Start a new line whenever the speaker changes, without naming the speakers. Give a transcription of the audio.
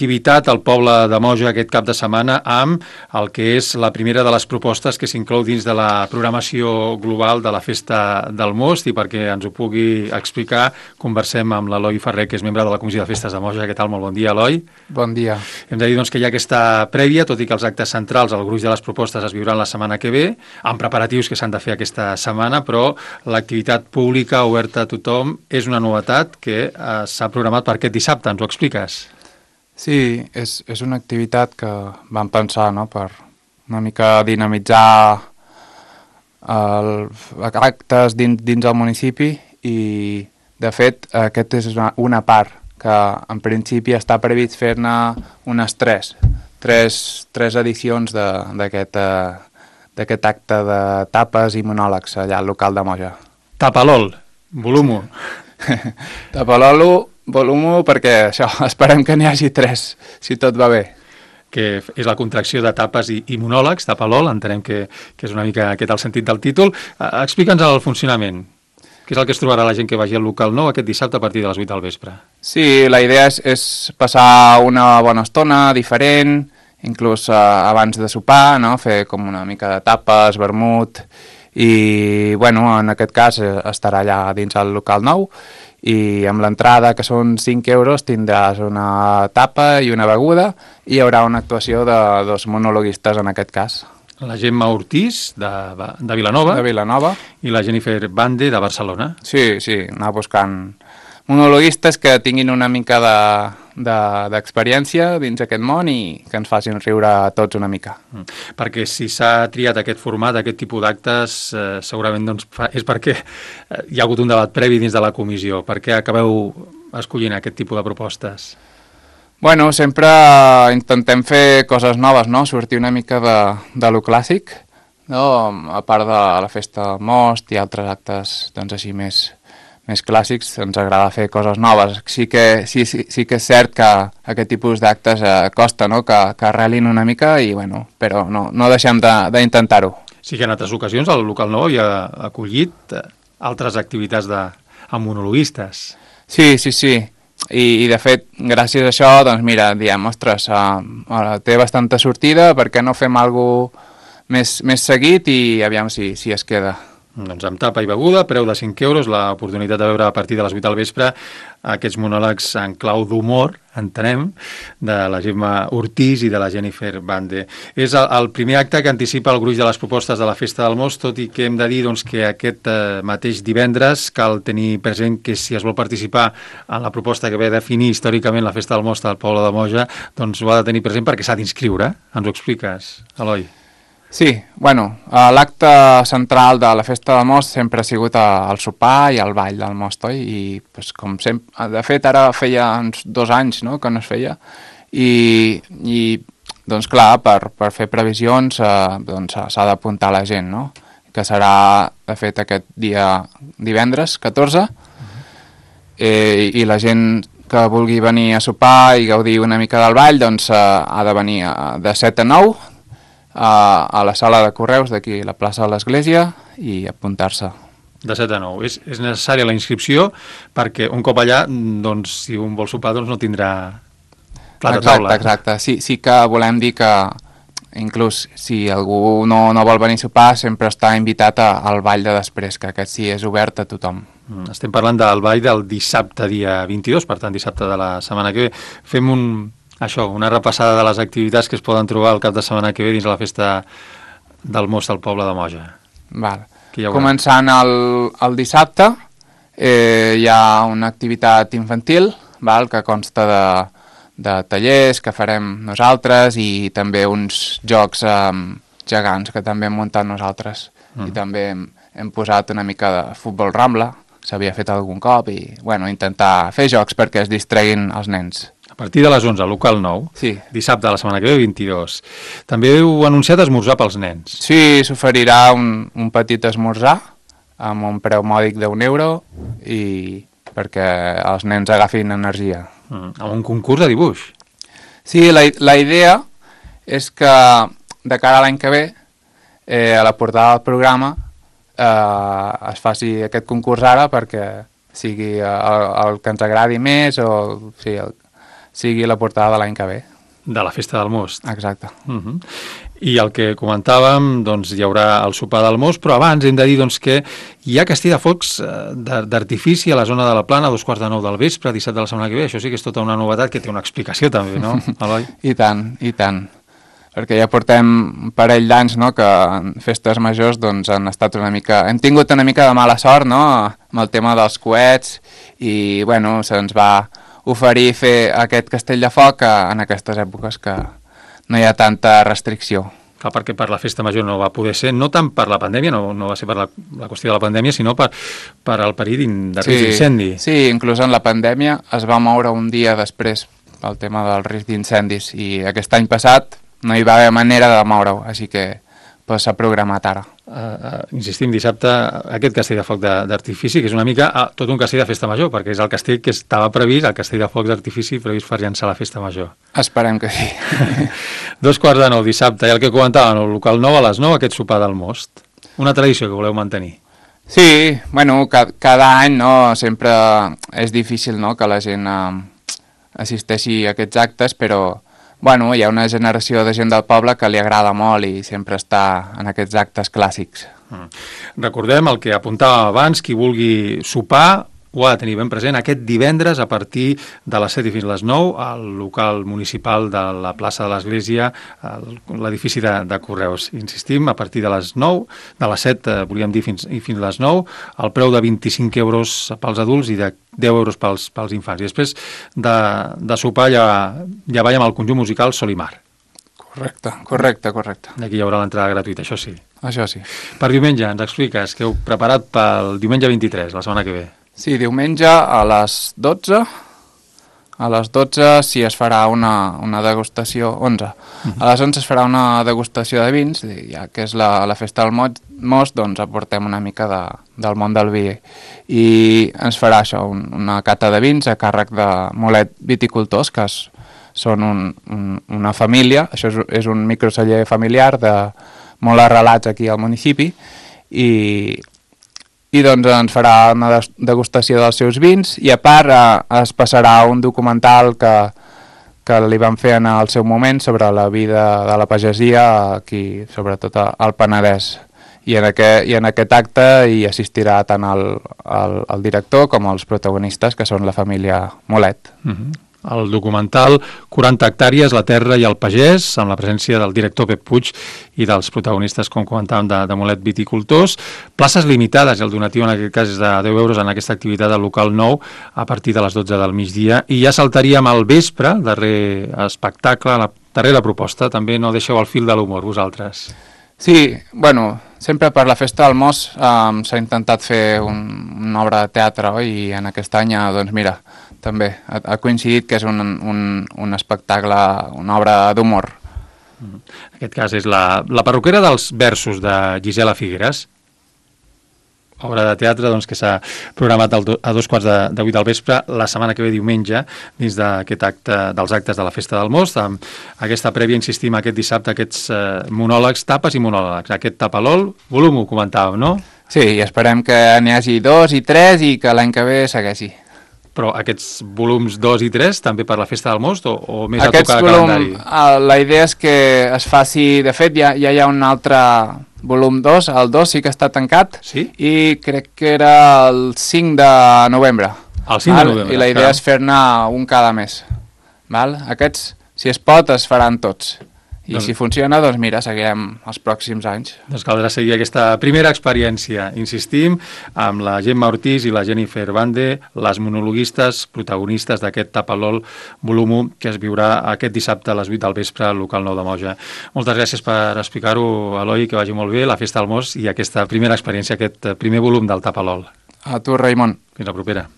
activitat al poble de Moja aquest cap de setmana amb el que és la primera de les propostes que s'inclou dins de la programació global de la Festa del Most, i perquè ens ho pugui explicar conversem amb l'Eloi Ferrer, que és membre de la Comissió de Festes de Moja. Què tal? Molt bon dia, Eloi.
Bon dia.
Hem de dir doncs, que hi ha aquesta prèvia, tot i que els actes centrals, el gruix de les propostes es viuran la setmana que ve, amb preparatius que s'han de fer aquesta setmana, però l'activitat pública oberta a tothom és una novetat que s'ha programat per aquest dissabte. Ens ho expliques?
Sí, és una activitat que vam pensar, no?, per una mica dinamitzar actes dins el municipi, i de fet aquest és una part que en principi està previst fer-ne unes tres edicions d'aquest acte de tapes i monòlegs allà al local de Moja.
Tapalol, volum 1.
Tapalolo, volum 1, perquè això, esperem que n'hi hagi 3, si tot va bé.
Que és la contracció de tapes i monòlegs, Tapalol, entenem que és una mica aquest el sentit del títol. Explica'ns el funcionament. Què és el que es trobarà la gent que vagi al local nou aquest dissabte a partir de les 8 del vespre?
Sí, la idea és passar una bona estona diferent, inclús abans de sopar, no?, fer com una mica de tapes, vermut, i bueno, en aquest cas estarà allà dins el local nou, i amb l'entrada, que són 5 euros, tindràs una tapa i una beguda, i hi haurà una actuació de 2 monologuistes en aquest cas.
La Gemma Ortiz, de Vilanova.
De Vilanova.
I la Jennifer Bande, de Barcelona.
Sí, anar buscant monologuistes que tinguin una mica d'experiència dins aquest món i que ens facin riure a tots una mica.
Perquè si s'ha triat aquest format, aquest tipus d'actes, segurament doncs, és perquè hi ha hagut un debat previ dins de la comissió. Per què acabeu escollint aquest tipus de propostes?
Bueno, sempre intentem fer coses noves, no?, sortir una mica de lo clàssic, no?, a part de la Festa del Most i altres actes doncs, així més clàssics, ens agrada fer coses noves. Sí que és cert que aquest tipus d'actes costa, no?, que arrelin una mica, i bueno, però no deixem d'intentar-ho.
Sí que en altres ocasions el local nou havia acollit altres activitats amb monologuistes.
Sí. I de fet, gràcies a això, doncs mira, diem, ostres, té bastanta sortida, per què no fem alguna cosa més seguit, i aviam si es queda.
Doncs amb tapa i beguda, preu de 5 euros, l'oportunitat de veure a partir de les 8 del vespre aquests monòlegs en clau d'humor, entenem, de la Gemma Ortiz i de la Jennifer Bande. És el primer acte que anticipa el gruix de les propostes de la Festa del Most, tot i que hem de dir doncs, que aquest mateix divendres cal tenir present que si es vol participar en la proposta que ve a definir històricament la Festa del Most al poble de Moja, doncs ho ha de tenir present perquè s'ha d'inscriure. Ens ho expliques, Eloi?
Sí, bueno, l'acte central de la Festa del Most sempre ha sigut el sopar i el ball del Most, oi? I pues, com sempre, de fet ara feia uns 2 anys, no?, que no es feia, i doncs clar, per fer previsions doncs, s'ha d'apuntar la gent, no?, que serà de fet aquest dia divendres 14, i la gent que vulgui venir a sopar i gaudir una mica del ball doncs ha de venir de 7 a 9 a la sala de correus d'aquí, la plaça de l'Església, i apuntar-se.
De 7 a 9. És necessària la inscripció perquè un cop allà, doncs, si un vol sopar, doncs no tindrà plat de taula.
Exacte. Sí que volem dir que inclús si algú no vol venir a sopar, sempre està invitat al ball de després, que aquest sí és obert a tothom.
Estem parlant del ball del dissabte dia 22, per tant dissabte de la setmana que ve. Fem una repassada de les activitats que es poden trobar el cap de setmana que ve dins la Festa del Most al poble de Moja.
Val. Començant el dissabte, hi ha una activitat infantil, que consta de tallers que farem nosaltres, i també uns jocs gegants que també hem muntat nosaltres. I també hem posat una mica de futbol rambla, s'havia fet algun cop, i intentar fer jocs perquè es distreguin els nens.
A partir de les 11, local nou,
sí.
Dissabte de la setmana que ve, 22. També heu anunciat esmorzar pels nens.
Sí, s'oferirà un petit esmorzar amb un preu mòdic d'1 euro, i perquè els nens agafin energia.
Amb un concurs de dibuix.
Sí, la idea és que de cara a l'any que ve, a la portada del programa, es faci aquest concurs ara perquè sigui el que ens agradi més, o sí, sigui la portada de l'any que ve.
De la Festa del Most.
Exacte.
I el que comentàvem, doncs hi haurà el sopar del Most, però abans hem de dir doncs, que hi ha castell de focs d'artifici a la zona de la Plana a 2:45 del vespre, dissabte de la setmana que ve. Això sí que és tota una novetat que té una explicació també, no, Eloi?
I tant. Perquè ja portem un parell d'anys, no?, que en festes majors doncs, hem tingut una mica de mala sort, no?, amb el tema dels coets i, bueno, se'ns va oferir fer aquest castell de foc en aquestes èpoques que no hi ha tanta restricció.
Clar, perquè per la festa major no va poder ser, no tant per la pandèmia, no va ser per la qüestió de la pandèmia, sinó per el perill de risc d'incendi.
Sí, inclús en la pandèmia es va moure un dia després pel tema del risc d'incendis i aquest any passat no hi va haver manera de moure-ho, així que s'ha programat ara.
Insistim, dissabte, aquest castell de foc d'artifici, que és una mica tot un castell de festa major, perquè és el castell que estava previst, el castell de foc d'artifici previst per llançar la festa major.
Esperem que sí.
2:45 dissabte, i el que comentàvem, el local 9 a les 9, aquest sopar del Most. Una tradició que voleu mantenir.
Sí, bueno, cada any, no, sempre és difícil, no?, que la gent assisteixi a aquests actes, però bueno, hi ha una generació de gent del poble que li agrada molt i sempre està en aquests actes clàssics.
Recordem el que apuntàvem abans, qui vulgui sopar ho ha de tenir ben present aquest divendres a partir de les 7 i fins a les 9 al local municipal de la plaça de l'Església, l'edifici de Correus. Insistim, a partir de les 9, de les 7, volíem dir, fins a les 9, el preu de 25 euros pels adults i de 10 euros pels infants. I després de sopar ja veiem el conjunt musical Sol i Mar.
Correcte.
Aquí hi haurà l'entrada gratuïta, això sí.
Això sí.
Per diumenge, ens expliques què heu preparat pel diumenge 23, la setmana que ve.
Sí, diumenge a les 12. A les 12 sí es farà una degustació, 11. A les 11 es farà una degustació de vins, ja que és la festa del Most, doncs aportem una mica del món del vi. I ens farà això, una cata de vins a càrrec de Molet Viticultors, que són una família, això és un microceller familiar de molt arrelats aquí al municipi, i doncs ens farà una degustació dels seus vins i a part es passarà un documental que li van fer en el seu moment sobre la vida de la pagesia aquí, sobretot al Penedès. I en aquest acte hi assistirà tant el director com els protagonistes, que són la família Molet.
El documental 40 hectàrees, la terra i el pagès, amb la presència del director Pep Puig i dels protagonistes, com comentàvem, de Molet Viticultors. Places limitades, i el donatiu en aquest cas és de 10 euros en aquesta activitat del local 9 a partir de les 12 del migdia. I ja saltaríem al vespre, el darrer espectacle, la darrera proposta. També no deixeu el fil de l'humor, vosaltres.
Sí, bueno, sempre per la festa del Most s'ha intentat fer una obra de teatre, oi? I en aquest any, doncs mira, també ha coincidit que és un espectacle, una obra d'humor.
En aquest cas és la perruquera dels versos de Gisela Figueres, obra de teatre doncs, que s'ha programat a 2:45 del vespre la setmana que ve diumenge dins d'aquest acte dels actes de la Festa del Most. Amb aquesta prèvia, insistim, aquest dissabte, aquests monòlegs, tapes i monòlegs. Aquest tapalol, volum, ho comentàvem, no?
Sí, i esperem que n'hi hagi 2 i 3 i que l'any que ve segueixi.
Però aquests volums 2 i 3 també per la Festa del Most o més a tocar de calendari?
La idea és que es faci... De fet, ja hi ha un altre volum 2, el 2 sí que està tancat,
sí?
I crec que era el 5 de novembre.
El 5 de novembre.
I la idea és fer-ne un cada mes. Val? Aquests, si es pot, es faran tots. I si funciona, doncs mira, seguirem els pròxims anys.
Doncs caldrà seguir aquesta primera experiència. Insistim, amb la Gemma Ortiz i la Jennifer Bande, les monologuistes protagonistes d'aquest Tapalol volum 1 que es viurà aquest dissabte a les 8 del vespre al local 9 de Moja. Moltes gràcies per explicar-ho, Eloi, que vagi molt bé la Festa del Most i aquesta primera experiència, aquest primer volum del Tapalol.
A tu, Raimon.
Fins la propera.